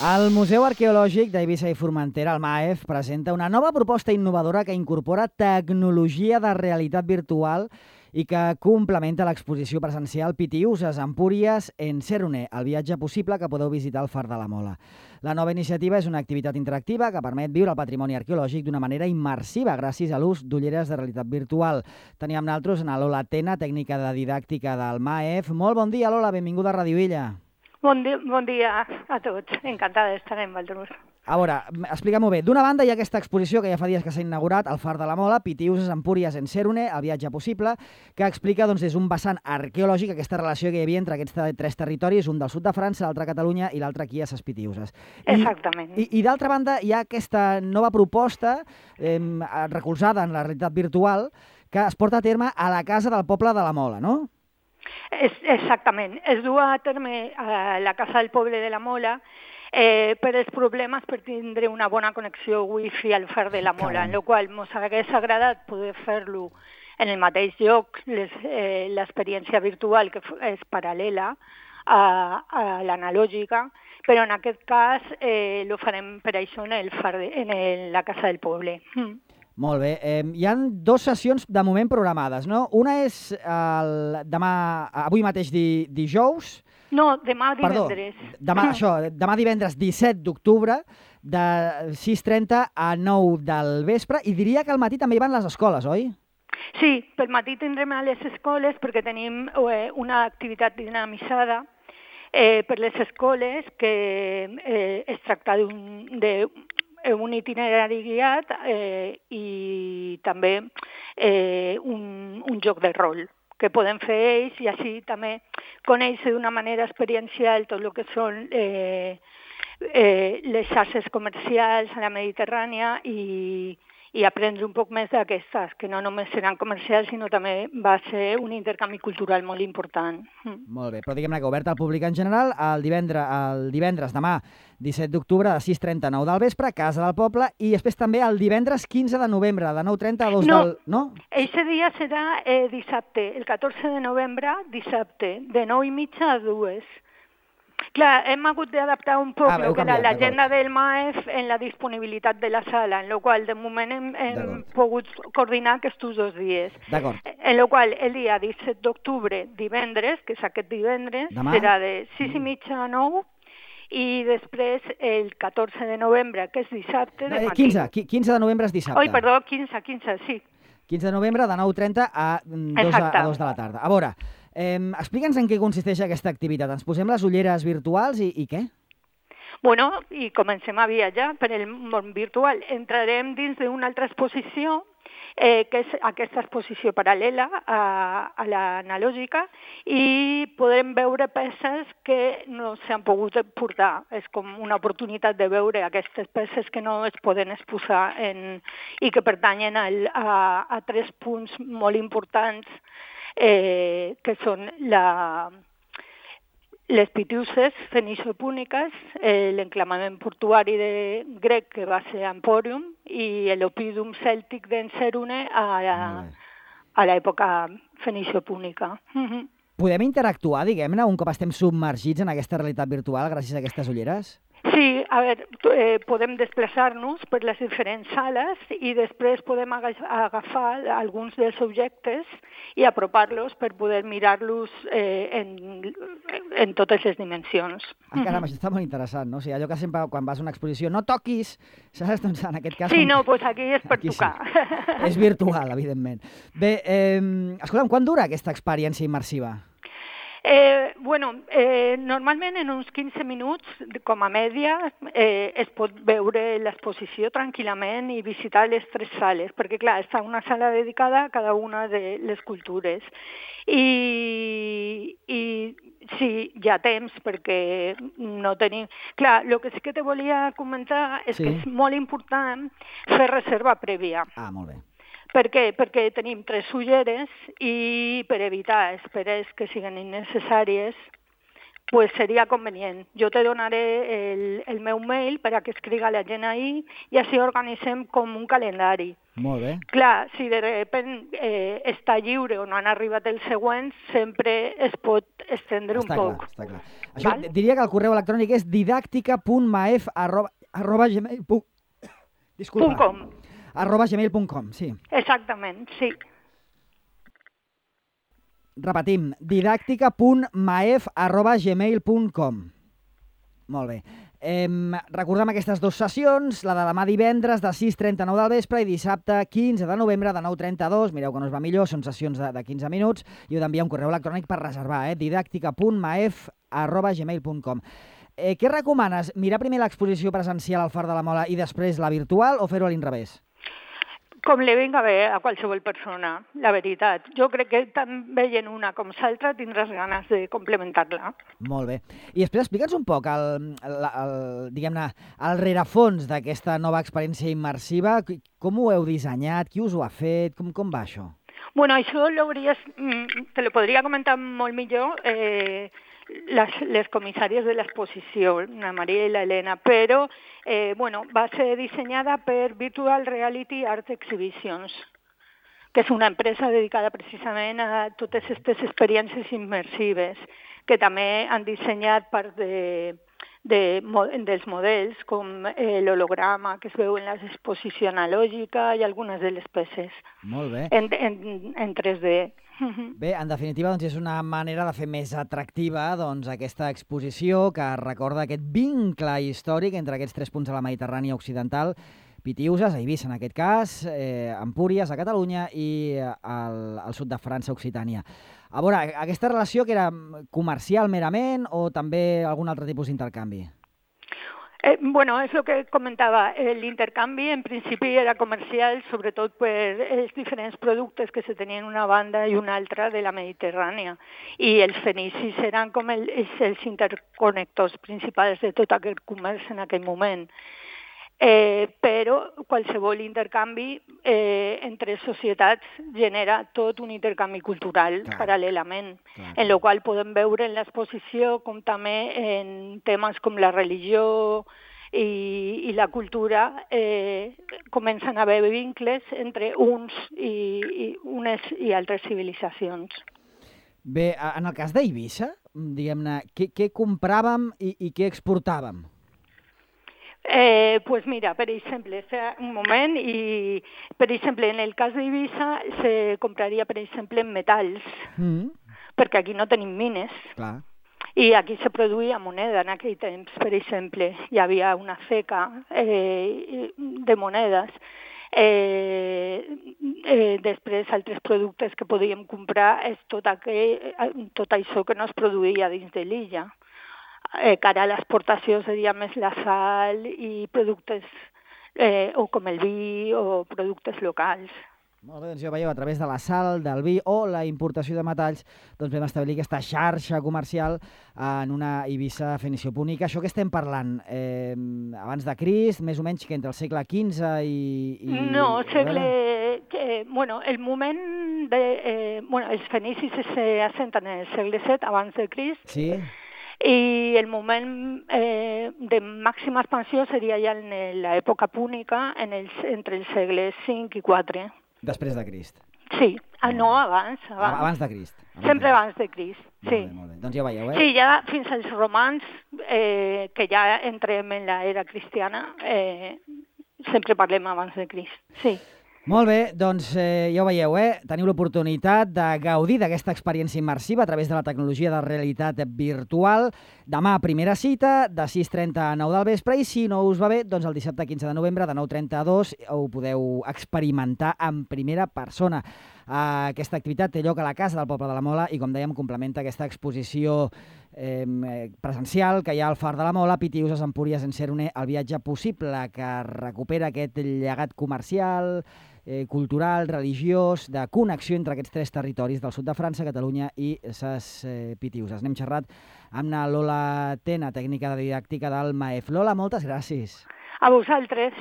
El Museu Arqueològic d'Eivissa i Formentera, el MAEF, presenta una nova proposta innovadora que incorpora tecnologia de realitat virtual i que complementa l'exposició presencial Pitiüses, Empúries, en Sèrune, el viatge possible que podeu visitar al Far de la Mola. La nova iniciativa és una activitat interactiva que permet viure el patrimoni arqueològic d'una manera immersiva gràcies a l'ús d'ulleres de realitat virtual. Tenim amb nosaltres a Lola Tena, tècnica de didàctica del MAEF. Molt bon dia, Lola, benvinguda a Radio Illa. Bon dia a tots. Encantada d'estar amb vosaltres. A veure, explica-m'ho bé. D'una banda hi ha aquesta exposició que ja fa dies que s'ha inaugurat al Far de la Mola, Pitiüses, Empúries, en Sèrune, el viatge possible, que explica des d'un vessant arqueològic aquesta relació que hi havia entre aquests tres territoris, un del sud de França, l'altre a Catalunya i l'altre aquí a ses Pitiüses. Exactament. I d'altra banda hi ha aquesta nova proposta recolzada en la realitat virtual que es porta a terme a la Casa del Poble de la Mola, no? Exactament. Es du a terme a la Casa del Poble de la Mola per els problemes per tindre una bona connexió wifi al Far de la Mola, en la qual ens hagués agradat poder fer-lo en el mateix lloc, l'experiència virtual que és paral·lela a l'analògica, però en aquest cas ho farem per això en la Casa del Poble. Molt bé. Hi ha dues sessions de moment programades, no? Una és avui mateix dijous. No, demà divendres. Perdó, demà divendres 17 d'octubre, de 6:30 a 9 del vespre, i diria que al matí també hi van les escoles, oi? Sí, pel matí tindrem a les escoles perquè tenim una activitat dinamitzada per les escoles que es tracta d'un itinerari guiat i també un joc de rol que poden fer ells i així també conèixer d'una manera experiencial tot el que són les xarxes comercials a la Mediterrània i aprendre un poc més d'aquestes, que no només seran comercials, sinó també va ser un intercanvi cultural molt important. Molt bé, però diguem-ne que obert al públic en general, el divendres demà 17 d'octubre de 6:30 a 9 del vespre, Casa del Poble, i després també el divendres 15 de novembre de 9:30 a 2 del... No, aquest dia serà dissabte, el 14 de novembre, dissabte, de 9:30 a 2. Clar, hem hagut d'adaptar un poc l'agenda del MAEF en la disponibilitat de la sala, en la qual de moment hem pogut coordinar aquests 2 dies. D'acord. En la qual el dia 17 d'octubre, divendres, que és aquest divendres, serà de 6:30 a 9, i després el 14 de novembre, que és dissabte, de matí. 15 de novembre és dissabte. Oi, perdó, 15, sí. 15 de novembre de 9:30 a 2 de la tarda. A veure, explica'ns en què consisteix aquesta activitat. Ens posem les ulleres virtuals i què? Bueno, i comencem a viatjar per el món virtual. Entrarem dins d'una altra exposició, que és aquesta exposició paral·lela a l'analògica, i podrem veure peces que no s'han pogut portar. És com una oportunitat de veure aquestes peces que no es poden exposar i que pertanyen a 3 punts molt importants, que són les Pitiüses fenicio-púniques, l'enclavament portuari grec que va ser Empòrium i l'Oppidum cèltic d'en Sèrune a l'època fenicio-púnica. Podem interactuar, diguem-ne, un cop estem submergits en aquesta realitat virtual gràcies a aquestes ulleres? Sí, a veure, podem desplaçar-nos per les diferents sales i després podem agafar alguns dels objectes i apropar-los per poder mirar-los en totes les dimensions. Caram, això està molt interessant, no? O sigui, allò que sempre quan vas a una exposició no toquis, saps? Doncs en aquest cas... Sí, no, doncs aquí és per tocar. Sí. És virtual, evidentment. Bé, escolta'm, quan dura aquesta experiència immersiva? Normalment en uns 15 minuts, com a mèdia, es pot veure l'exposició tranquil·lament i visitar les 3 sales, perquè clar, està una sala dedicada a cada una de les cultures. I sí, hi ha temps, perquè no tenim... Clar, el que sí que te volia comentar és que és molt important fer reserva prèvia. Ah, molt bé. Per què? Perquè tenim 3 ulleres i per evitar esperes que siguin innecessàries pues seria convenient. Jo te donaré el meu mail per a que escriga la gent ahí i així organitzem com un calendari. Molt bé. Clar, si de sobte està lliure o no han arribat els següents, sempre es pot estendre un poc. Està clar. Això diria que el correu electrònic és didàctica.maef@gmail.com, sí. Exactament, sí. Repetim, didàctica.maef@gmail.com. Molt bé. Recordem aquestes 2 sessions, la de demà divendres de 6:39 del vespre i dissabte 15 de novembre de 9:32. Mireu que no es va millor, són sessions de 15 minuts i heu d'enviar un correu electrònic per reservar, didàctica.maef@gmail.com. Què recomanes? Mirar primer l'exposició presencial al Far de la Mola i després la virtual o fer-ho a l'inrevés? Com li vinga bé a qualsevol persona, la veritat. Jo crec que tant veient una com l'altra tindràs ganes de complementar-la. Molt bé. I després explica'ns un poc diguem-ne, el rerefons d'aquesta nova experiència immersiva. Com ho heu dissenyat? Qui us ho ha fet? Com va això? Bueno, això te lo podria comentar molt millor les comissàries de l'exposició, la Maria i l'Helena, però va ser dissenyada per Virtual Reality Art Exhibitions, que és una empresa dedicada precisament a totes aquestes experiències immersives, que també han dissenyat part dels models, com l'holograma que es veu en l'exposició analògica i algunes de les peces. Molt bé. En 3D. Bé, en definitiva, doncs, és una manera de fer més atractiva aquesta exposició que recorda aquest vincle històric entre aquests 3 punts de la Mediterrània occidental, Pitiüses, a Eivissa en aquest cas, Empúries, a Catalunya, i al sud de França, Occitània. A veure, aquesta relació que era comercial merament o també algun altre tipus d'intercanvi? És el que comentava. L'intercanvi en principi era comercial, sobretot per els diferents productes que se tenien una banda i una altra de la Mediterrània. I els fenicis eren com els interconnectors principals de tot aquest comerç en aquell moment. Però qualsevol intercanvi entre societats genera tot un intercanvi cultural paral·lelament, en el qual podem veure en l'exposició com també en temes com la religió i la cultura comencen a haver vincles entre unes i altres civilitzacions. Bé, en el cas d'Eivissa, diguem-ne, què compràvem i què exportàvem? Pues mira, per exemple, un moment, i per exemple, en el cas d'Eivissa se compraria, per exemple, en metalls, perquè aquí no tenim mines. Clar. I aquí se produïa moneda en aquell temps, per exemple. Hi havia una ceca de monedes. Després, altres productes que podíem comprar és tot això que no es produïa dins de l'illa. Cara a l'exportació seria més la sal i productes o com el vi o productes locals. Molt bé, doncs ja veieu, a través de la sal, del vi o la importació de metalls, doncs vam establir aquesta xarxa comercial en una Eivissa fenicopúnica. Això que estem parlant, abans de Crist, més o menys que entre el segle XV i... No, el moment els fenicis s'assenten en el segle VII abans de Crist. Sí. I el moment de màxima expansió seria ja en l'època púnica, entre els segles V i IV. Després de Crist. Sí, no, abans. Abans de Crist. Sempre abans de Crist, sí. Molt bé. Doncs ja veieu, Sí, ja fins als romans, que ja entrem en l'era cristiana, sempre parlem abans de Crist, sí. Molt bé, doncs ja ho veieu, teniu l'oportunitat de gaudir d'aquesta experiència immersiva a través de la tecnologia de realitat virtual. Demà, primera cita, de 6:30 a 9 del vespre, i si no us va bé, doncs el dissabte 15 de novembre de 9:32 ho podeu experimentar en primera persona. Aquesta activitat té lloc a la Casa del Poble de la Mola i, com dèiem, complementa aquesta exposició presencial que hi ha al Far de la Mola, Pitiüses, Empúries, Encerune, el viatge possible, que recupera aquest llegat comercial, cultural, religiós, de connexió entre aquests 3 territoris del sud de França, Catalunya i ses Pitiüses. N'hem xerrat amb la Lola Tena, tècnica de didàctica del MAEF. Lola, moltes gràcies. A vosaltres.